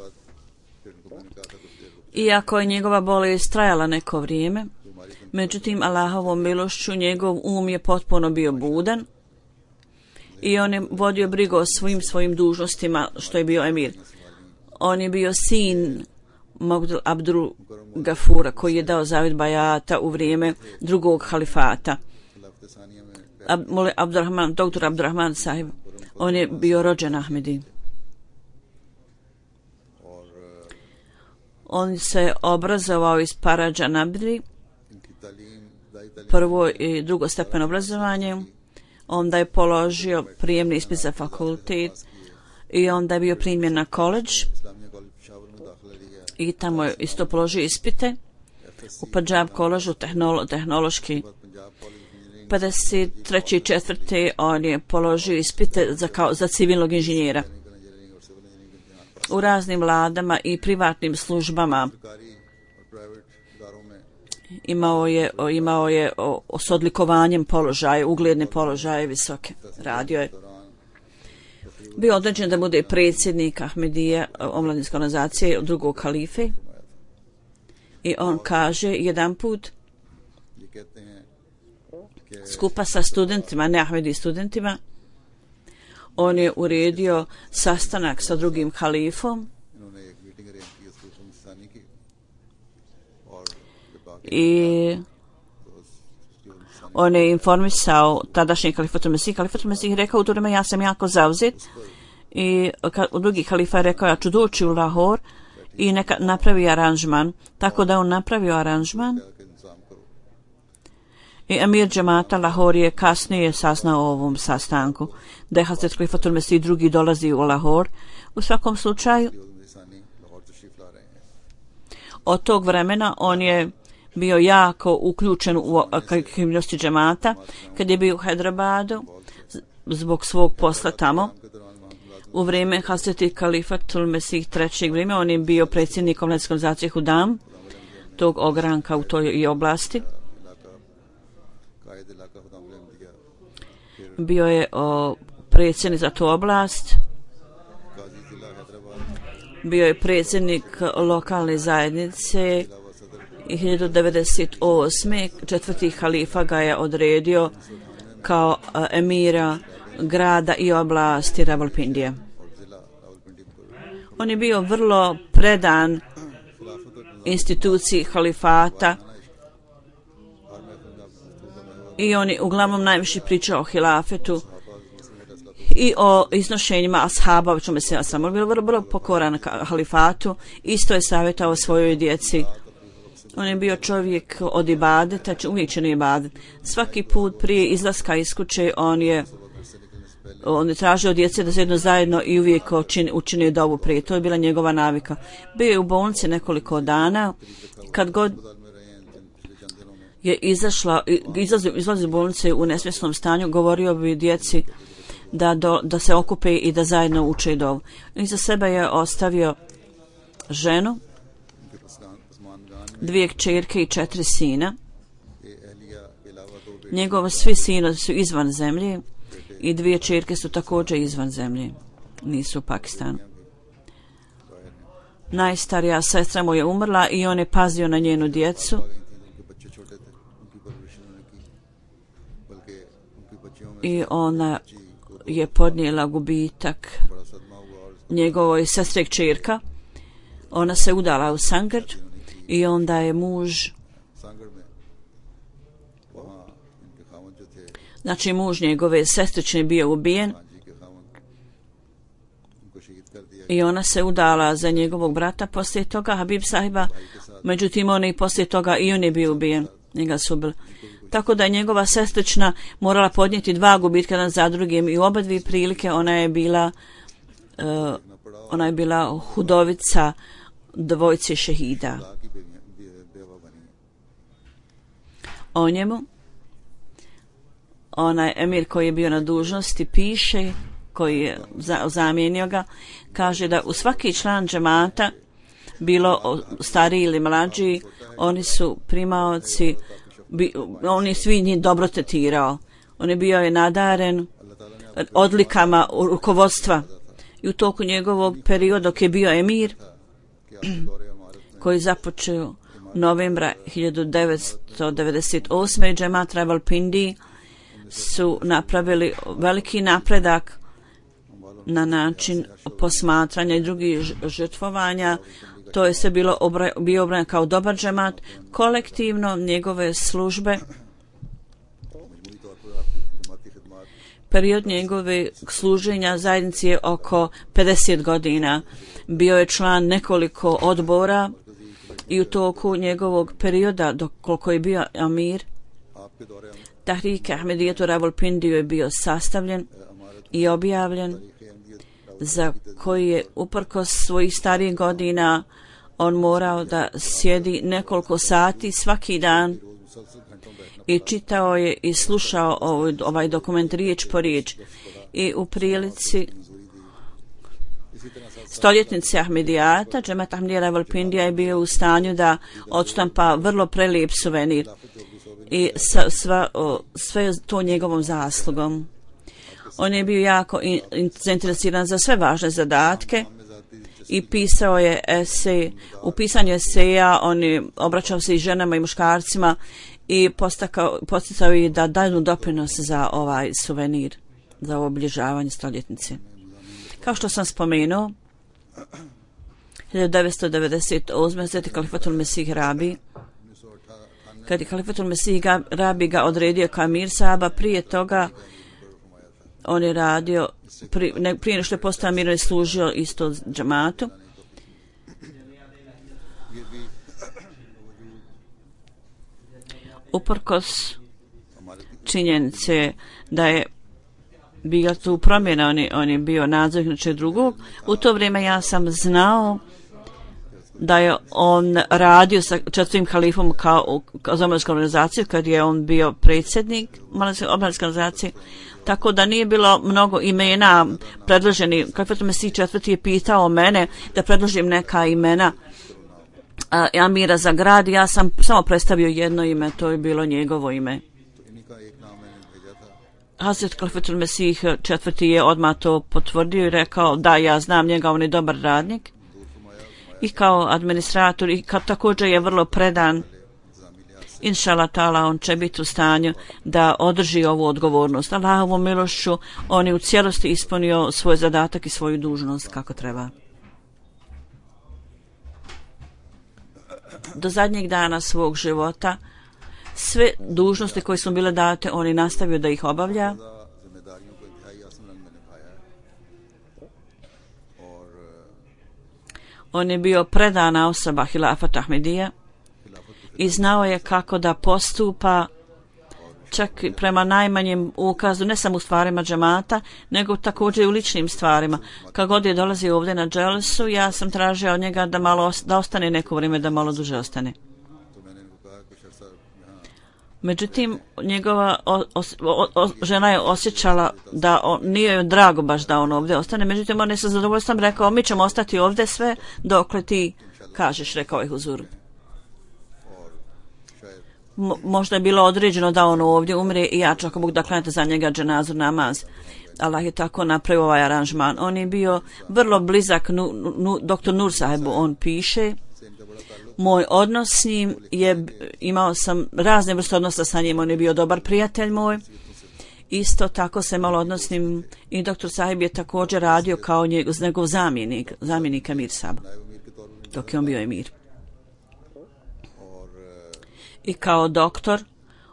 S2: Iako je njegova bolest trajala neko vrijeme, međutim Allahovom milošću njegov um je potpuno bio budan i on je vodio brigu o svim svojim dužnostima što je bio emir. On je bio sin Mogdul Abdul Gafura koji je dao zavjet bajata u vrijeme drugog halifata. Ab, Abdurrahman, doktor Abdurrahman sahib, on je bio rođen Ahmedi. On se obrazovao iz Paradža Nabili, prvo i drugo stepen obrazovanje, onda je položio prijemni ispit za fakultet i onda je bio primjen na koledž i tamo je isto položio ispite u Punjab koležu tehnolo, tehnološki. pedeset treće i četvrte on je položio ispite za, kao, za civilnog inženjera. U raznim vladama i privatnim službama imao je, imao je o, o, s odlikovanjem položaje, ugledne položaje visoke. Radio je. Bio određen da bude predsjednik Ahmedije, omladinske organizacije drugog halife. I on kaže jedan put skupa sa studentima, ne Ahmedi studentima, on je uredio sastanak sa drugim halifom i on je informisao tadašnji kalifatul Mesih. Kalifatul Mesih rekao u to vrijeme ja sam jako zauzet i u drugi halifa je rekao ja ću doći u Lahor i neka napravi aranžman. Tako da on napravio aranžman i emir džemata Lahor je kasnije saznao o ovom sastanku da je Hazret Kalifatul Mesih drugi dolazi u Lahor. U svakom slučaju od tog vremena on je bio jako uključen u aktivnosti džemata. Kad je bio u Hyderabadu zbog svog posla tamo u vrijeme Hazreti Kalifatul Mesih trećeg vrijeme, on je bio predsjednik omladinske organizacije Hudam, tog ogranka u toj oblasti. Bio je o, predsjednik za tu oblast, bio je predsjednik lokalne zajednice i hiljadu devetsto devedeset osme četvrti halifa ga je odredio kao a, emira grada i oblasti Rawalpindije. On je bio vrlo predan instituciji halifata i on je uglavnom najviše pričao o hilafetu i o iznošenjima ashaba, o čemu se ja sam bio vrlo, vrlo pokoran halifatu. Isto je savjetao svojoj djeci. On je bio čovjek od ibadeta, uvijek činio ibadet. Svaki put prije izlaska iz kuće on je on je tražio od djece da se jedno zajedno i uvijek učinio dovu prije. To je bila njegova navika. Bio je u bolnici nekoliko dana. Kad god je izašla, izlazi, izlazi iz bolnice u nesvjesnom stanju, govorio bi djeci da, do, da se okupe i da zajedno uče dovu. Iza sebe je ostavio ženu, dvije kćerke i četiri sina. Njegovi svi sinovi su izvan zemlje i dvije kćerke su također izvan zemlje, nisu u Pakistanu. Najstarija sestra mu je umrla i on je pazio na njenu djecu. I ona je podnijela gubitak njegovoj sestre kćerka. Ona se udala u Sangar i onda je muž znači muž njegove sestrične bio ubijen i ona se udala za njegovog brata poslije toga Habib sahiba, međutim on i poslije toga i on je bio ubijen, njega su ubili. Tako da je njegova sestrična morala podnijeti dva gubitka jedan za drugim i u oba dvije prilike ona je bila uh, ona je bila hudovica dvojci šehida. O njemu onaj emir koji je bio na dužnosti piše, koji je zamijenio ga, kaže da u svaki član džemata, bilo stariji ili mlađi, oni su primaoci, bi, on je svi njih dobro tretirao. On je bio je nadaren odlikama rukovodstva i u toku njegovog perioda dok je bio emir, koji započeo novembra hiljadu devetsto devedeset osme džemat Rawalpindi su napravili veliki napredak na način posmatranja i drugih žrtvovanja. To je sve bilo obra, bio obran kao dobar džemat. Kolektivno njegove službe, period njegove služenja zajednici je oko pedeset godina. Bio je član nekoliko odbora i u toku njegovog perioda, dok koliko je bio amir, Tahrik Ahmedijetu Rawalpindiju je bio sastavljen i objavljen, za koji je uprkos svojih starijih godina on morao da sjedi nekoliko sati svaki dan i čitao je i slušao ovaj, ovaj dokument riječ po riječ. I u prilici stoljetnice Ahmedijata, džemat Ahmedija Rawalpindija je bio u stanju da odštampa vrlo prelijep suvenir i sa, sva, o, sve to njegovom zaslugom. On je bio jako in, in, zainteresiran za sve važne zadatke i pisao je esej. U pisanju eseja on je obraćao se i ženama i muškarcima i posticao ih da daju doprinos za ovaj suvenir, za ovo obilježavanje stoljetnice. Kao što sam spomenuo, hiljadu devetsto devedeset osme. Sveti Kalifatul Mesih Rabi, kad je Kalifatul Mesih Rabi ga odredio kao Amir Sahaba, prije toga on je radio, pri, ne, prije nešto je postao Amir, je služio isto džamatu. Uprkos činjenice da je bila tu promjena, on je, on je bio nadzornik nečeg drugog. U to vrijeme ja sam znao da je on radio sa četvrtim halifom kao, kao za omladinske organizacije, kad je on bio predsjednik omladinske organizacije, tako da nije bilo mnogo imena predloženi. Kalifatul Mesih četvrti je pitao mene da predložim neka imena a, Amira za grad. Ja sam samo predstavio jedno ime, to je bilo njegovo ime. Hazret Kalifatul Mesih četvrti je odmah to potvrdio i rekao da ja znam njega, on je dobar radnik i kao administrator i kao također je vrlo predan. Inšala ta'ala on će biti u stanju da održi ovu odgovornost. Allahovom milošću on je u cijelosti ispunio svoj zadatak i svoju dužnost kako treba. Do zadnjeg dana svog života sve dužnosti koje su bile date on je nastavio da ih obavlja. On je bio predana osoba Hilafat Ahmedija i znao je kako da postupa čak prema najmanjem ukazu, ne samo u stvarima džemata, nego također i u ličnim stvarima. Kad god je dolazio ovdje na dželsu, ja sam tražio od njega da malo da ostane neko vrijeme, da malo duže ostane. Međutim, njegova o, o, o, žena je osjećala da on, nije joj drago baš da on ovdje ostane, međutim on je sa zadovoljstvom rekao mi ćemo ostati ovdje sve dokle ti kažeš, rekao je Huzur. Mo, možda je bilo određeno da on ovdje umre i ja čak mogu da klanjate za njega dženazu namaz. Allah je tako napravio ovaj aranžman. On je bio vrlo blizak nu, nu, doktor Nur Sahebu, on piše. Moj odnos s njim je, imao sam razne vrste odnosa sa njim, on je bio dobar prijatelj moj. Isto tako se malo odnosnim i doktor Sahib je također radio kao njegov, njegov zamjenik, zamjenik Amir Sahaba, dok je on bio emir. I kao doktor,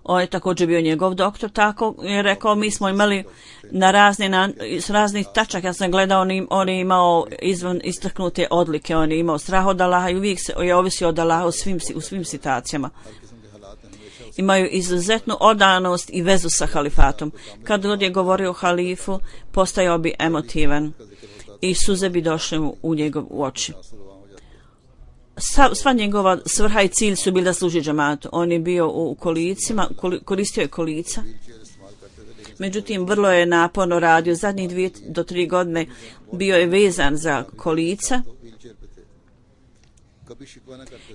S2: on je također bio njegov doktor, tako je rekao, mi smo imali na razne, na, s raznih tačaka, ja sam gledao, on, on je imao izvan istaknute odlike, on je imao strah od Allaha i uvijek se, je ovisio od Allaha u svim, u svim situacijama. Imaju izuzetnu odanost i vezu sa halifatom. Kad god je govorio o halifu, postajao bi emotivan i suze bi došle u, u njegov u oči. Sva, sva njegova svrha i cilj su bili da služi džematu. On je bio u kolicima, koristio je kolica Međutim, vrlo je naporno radio. Zadnjih dvije do tri godine bio je vezan za kolica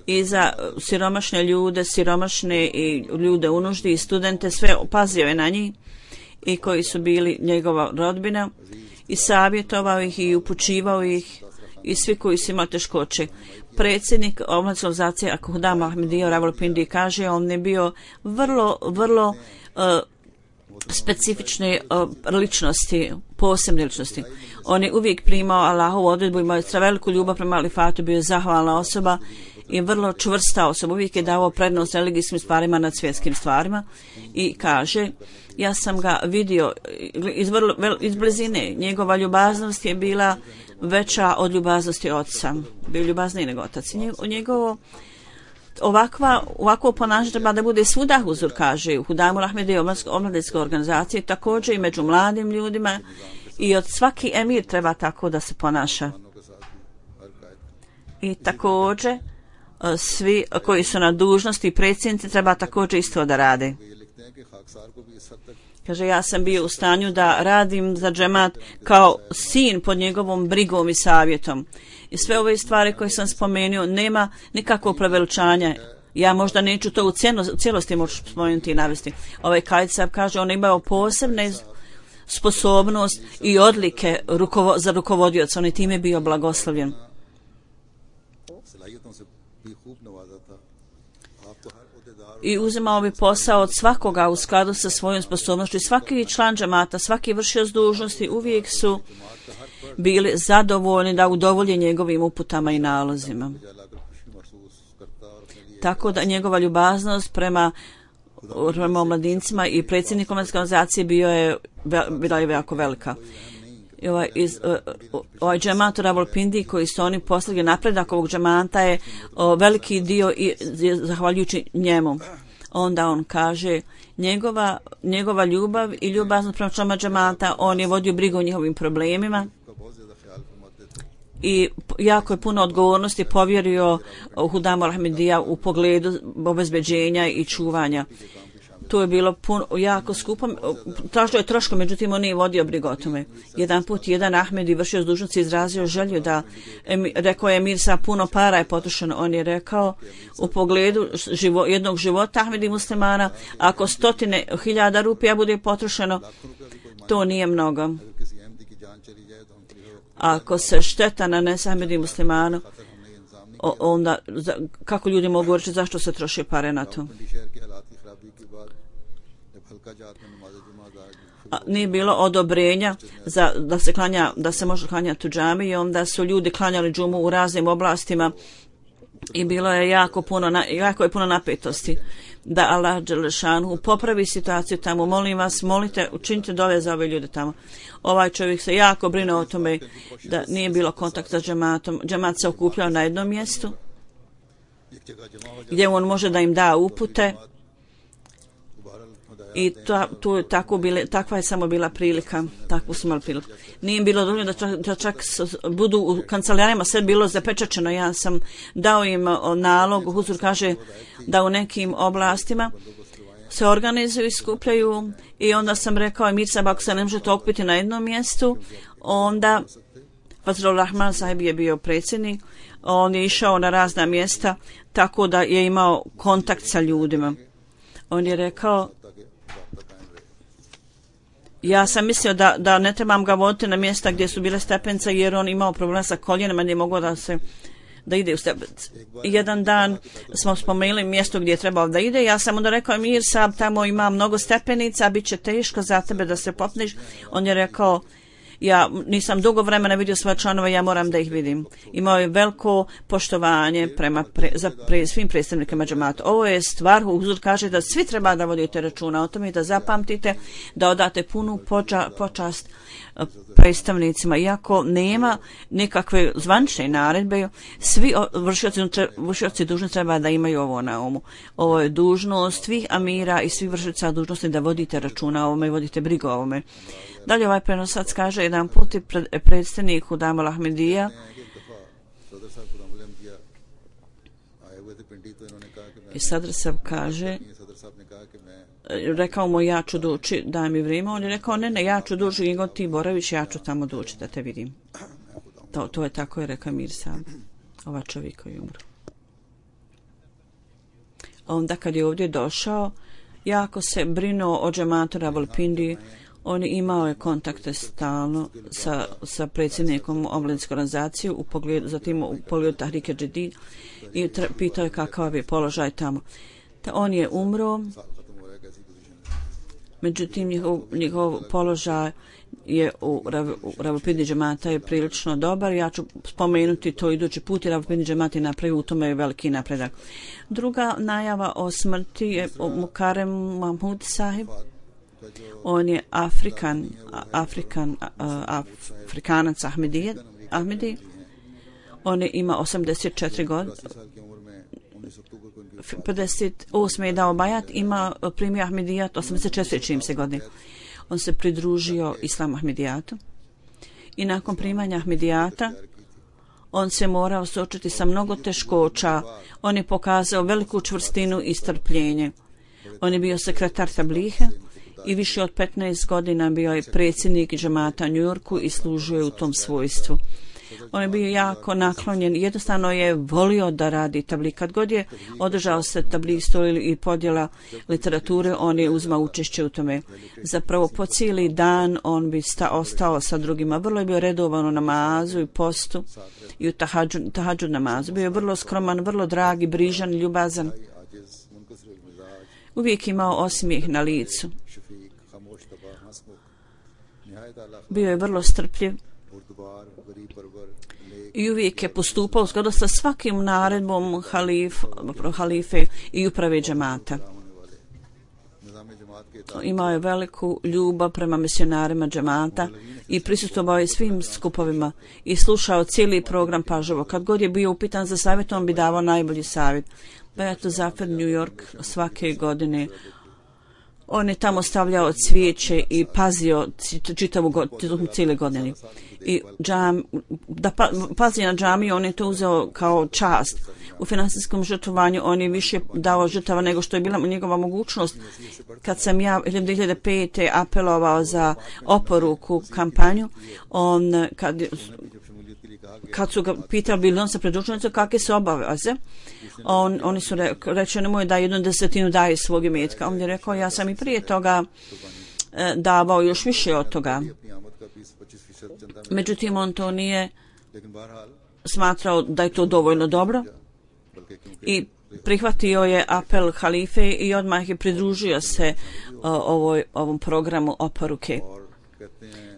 S2: i za siromašne ljude, siromašne i ljude u nuždi i studente, sve pazio je na njih i koji su bili njegova rodbina i savjetovao ih i upućivao ih i svi koji su imali teškoće. Predsjednik omladinske organizacije Al-Hudam Ahmadija Rawalpindi kaže, on je bio vrlo, vrlo uh, specifične uh, ličnosti, posebne ličnosti. On je uvijek primao Allahovu odredbu, imao je veliku ljubav prema alifatu, bio je zahvalna osoba i vrlo čvrsta osoba. Uvijek je davao prednost religijskim stvarima nad svjetskim stvarima i kaže, ja sam ga vidio iz, vrlo, iz blizine. Njegova ljubaznost je bila veća od ljubaznosti oca. Bio ljubazniji nego otac. Njegovo ovakva, ovakvo ponašanje treba da bude svuda huzur, kaže u Hudamu Ahmadije omladinske organizacije, također i među mladim ljudima i od svaki emir treba tako da se ponaša. I također svi koji su na dužnosti i predsjednici treba također isto da rade. Kaže, ja sam bio u stanju da radim za džemat kao sin pod njegovom brigom i savjetom. I sve ove stvari koje sam spomenuo, nema nikakvog preveličanja. Ja možda neću to u, cijeno, u cijelosti moći spomenuti i navesti. Ovaj Kaid Saheb kaže, on imao posebne sposobnost i odlike rukovo, za rukovodioca. On je time bio blagoslovljen. I uzimao bi posao od svakoga u skladu sa svojom sposobnošću. I svaki član džemata, svaki vršioc dužnosti uvijek su bili zadovoljni da udovolje njegovim uputama i nalozima. Tako da njegova ljubaznost prema, prema omladincima i predsjednikom omladinske organizacije bio je, bila je jako velika. I ovaj, iz, uh, ovaj džemat u Rawalpindi koji su oni postigli napredak ovog džemata je uh, veliki dio i zahvaljujući njemu. Onda on kaže, njegova, njegova ljubav i ljubaznost prema članima džemata, on je vodio brigu o njihovim problemima i jako je puno odgovornosti povjerio Hudamu Ahmadija u pogledu obezbeđenja i čuvanja. To je bilo puno, jako skupo, tražio je troško, međutim on nije vodio brigu o tome. Jedan put jedan Ahmedi vršio s dužnosti izrazio želju da, em, rekao je Emir, sa puno para je potrošeno. On je rekao u pogledu živo, jednog života Ahmedi muslimana, ako stotine hiljada rupija bude potrošeno, to nije mnogo. Ako se šteta nanese Ahmedi muslimanu, onda kako ljudi mogu reći zašto se troši pare na to? A, nije bilo odobrenja za, da se klanja, da se može klanjati u džami i onda su ljudi klanjali džumu u raznim oblastima i bilo je jako puno, na, jako je puno napetosti. Da Allah dželešanu popravi situaciju tamo, molim vas, molite, učinite dove za ove ljude tamo. Ovaj čovjek se jako brine o tome da nije bilo kontakta s džematom. Džemat se okupljao na jednom mjestu gdje on može da im da upute. I to, to tako bile, takva je samo bila prilika, takvu su imali priliku. Nije bilo dovoljno da čak, da čak budu u kancelarijama, sve bilo zapečačeno. Ja sam dao im nalog, Huzur kaže da u nekim oblastima se organizuju i skupljaju i onda sam rekao Emir Saheb, ako se ne možete okupiti na jednom mjestu, onda Fazlur Rahman Saheb je bio predsjednik, on je išao na razna mjesta tako da je imao kontakt sa ljudima. On je rekao, ja sam mislio da, da ne trebam ga voditi na mjesta gdje su bile stepence jer on imao problema sa koljenima, nije mogao da se da ide u stepence. Jedan dan smo spomenuli mjesto gdje je trebao da ide, ja sam onda rekao Emir Saheb, tamo ima mnogo stepenica, bit će teško za tebe da se popneš. On je rekao, ja nisam dugo vremena vidio svoje članove, ja moram da ih vidim. Imao je veliko poštovanje prema pre, za pre, svim predstavnikama džemata. Ovo je stvar, Huzur kaže da svi treba da vodite računa o tome i da zapamtite, da odate punu poča, počast predstavnicima. Iako nema nikakve zvanične naredbe, svi vršioci, vršioci dužnosti treba da imaju ovo na umu. Ovo je dužnost svih amira i svih vršioca dužnosti da vodite računa o ovome i vodite brigu o ovome. Dalje ovaj prenosac kaže, jedan put je pred, predstavnik Hudam Ahmadija i Sadr Saheb kaže rekao mu ja ću doći, daj mi vrijeme, on je rekao ne, ne, ja ću doći, nego ti boraviš, ja ću tamo doći da te vidim. To, to je tako je rekao Mir Sab, ova čovjek koji umro. Onda kad je ovdje došao, jako se brinuo o džematu Rawalpindi. On je imao je kontakte stalno sa, sa predsjednikom omladinske organizacije, u pogledu, zatim u pogledu Tahrike Jadid i tra, pitao je kakav je položaj tamo. Ta on je umro, međutim njihov, njihov položaj je u, u Rawalpindi džemata je prilično dobar. Ja ću spomenuti to idući put i Rawalpindi džemat je napravio u tome je veliki napredak. Druga najava o smrti je Mukarem Mahmud Sahib. On je Afrikan, Afrikan, Afrikanac Ahmedije, Ahmedi. On je ima osamdeset četiri godine. pedeset osme je dao bajat, ima primio Ahmedijat osamdeset četiri čim se godine. On se pridružio Islam Ahmedijatu i nakon primanja Ahmedijata on se morao suočiti sa mnogo teškoća. On je pokazao veliku čvrstinu i strpljenje. On je bio sekretar Tablihe i više od petnaest godina bio je predsjednik džemata u New Yorku i služio je u tom svojstvu. On je bio jako naklonjen, jednostavno je volio da radi tablik. Kad god je održao se tablik stol i podjela literature, on je uzmao učešće u tome. Zapravo po cijeli dan on bi sta, ostao sa drugima. Vrlo je bio redovan u namazu i postu i u tahadžud, tahadžud namazu. Bio je vrlo skroman, vrlo dragi, brižan, ljubazan. Uvijek imao osmijeh na licu. Bio je vrlo strpljiv i uvijek je postupao u skladu sa svakim naredbom halif, halife i uprave džemata. Imao je veliku ljubav prema misionarima džemata i prisustvovao je svim skupovima i slušao cijeli program pažljivo. Kad god je bio upitan za savjet, on bi davao najbolji savjet. Beato Zafer, New York, svake godine on je tamo stavljao cvijeće i pazio čitavu godinu, cijele godine. I džam, da pa, pazi na džamiju, on je to uzeo kao čast. U finansijskom žrtvovanju on je više dao žrtava nego što je bila njegova mogućnost. Kad sam ja dvije hiljade pete apelovao za oporuku kampanju, on kad, kad su ga pitali bili on sa predručnicom kakve su obaveze, On, oni su re, rečeni mu je da jednu desetinu daje svog imetka. On je rekao ja sam i prije toga e, davao još više od toga. Međutim on to nije smatrao da je to dovoljno dobro i prihvatio je apel halife i odmah je pridružio se o, ovoj, ovom programu oporuke.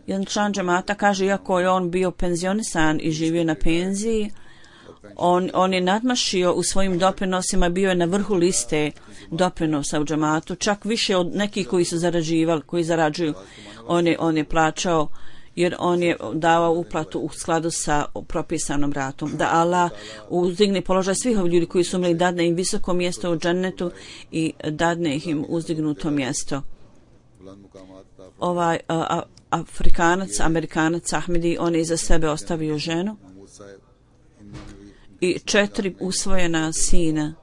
S2: Jedan član džemata kaže iako je on bio penzionisan i živio na penziji, On, on je nadmašio u svojim doprinosima, bio je na vrhu liste doprinosa u džematu, čak više od nekih koji su zarađivali, koji zarađuju. On je, on je plaćao jer on je davao uplatu u skladu sa propisanom ratom. Da Allah uzdigne položaj svih ovih ljudi koji su umrli, dadne im visoko mjesto u džennetu i dadne im uzdignuto mjesto. Ovaj a, a, Afrikanac, Amerikanac Ahmedi, on je iza sebe ostavio ženu i četiri usvojena sina.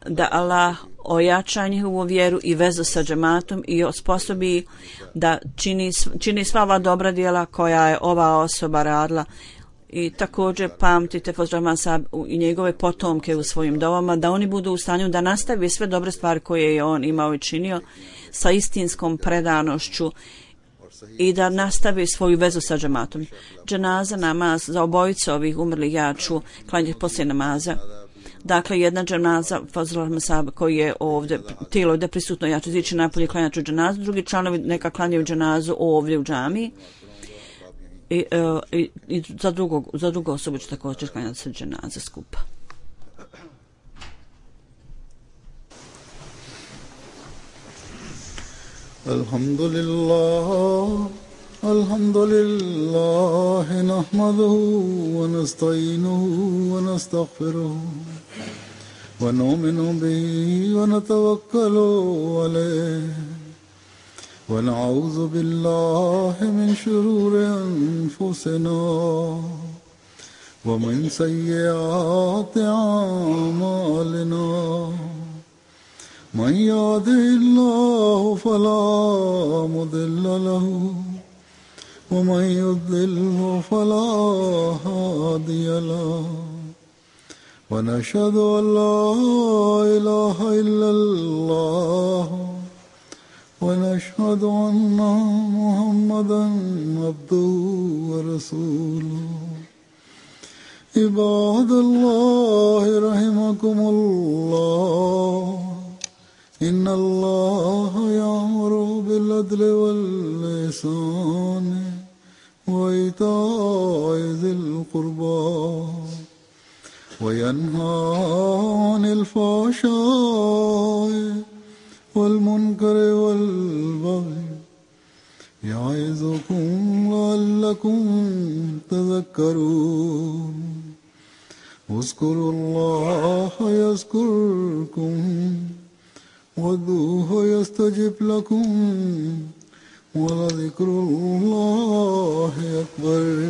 S2: Da Allah ojača njihovu vjeru i vezu sa džematom i osposobi da čini, čini sva ova dobra djela koja je ova osoba radila. I također pamtite Fozrahman Sahab i njegove potomke u svojim dovama, da oni budu u stanju da nastavi sve dobre stvari koje je on imao i činio sa istinskom predanošću i da nastavi svoju vezu sa džematom. Dženaza namaz za obojicu ovih umrlih ja ću klanjati poslije namaza. Dakle, jedna dženaza Fazrul Sahab koji je ovdje, tijelo ovdje prisutno, ja ću ići napolje klanjati ću dženazu, drugi članovi neka klanjaju dženazu ovdje u džamiji. I, uh, i, i za, drugog, za drugu osobu ću također klanjati se dženaze skupa.
S1: Alhamdulillah, alhamdulillah, nahmaduhu wa nasta'inuhu wa nastaghfiruhu wa nu'minu bihi wa natawakkalu alayhi wa na'udhu billahi min shururi anfusina ومن سيئات أعمالنا من يهده الله فلا مضل له ومن يضلل فلا هادي له ونشهد أن لا إله إلا الله ونشهد أن محمدا عبده ورسوله عباد الله رحمكم الله إن الله يأمر بالعدل والإحسان وإيتاء ذي القربى وينهى عن الفحشاء والمنكر والبغي يعظكم لعلكم تذكرون اذكروا الله يذكركم وادعوه يستجب لكم ولذكر الله أكبر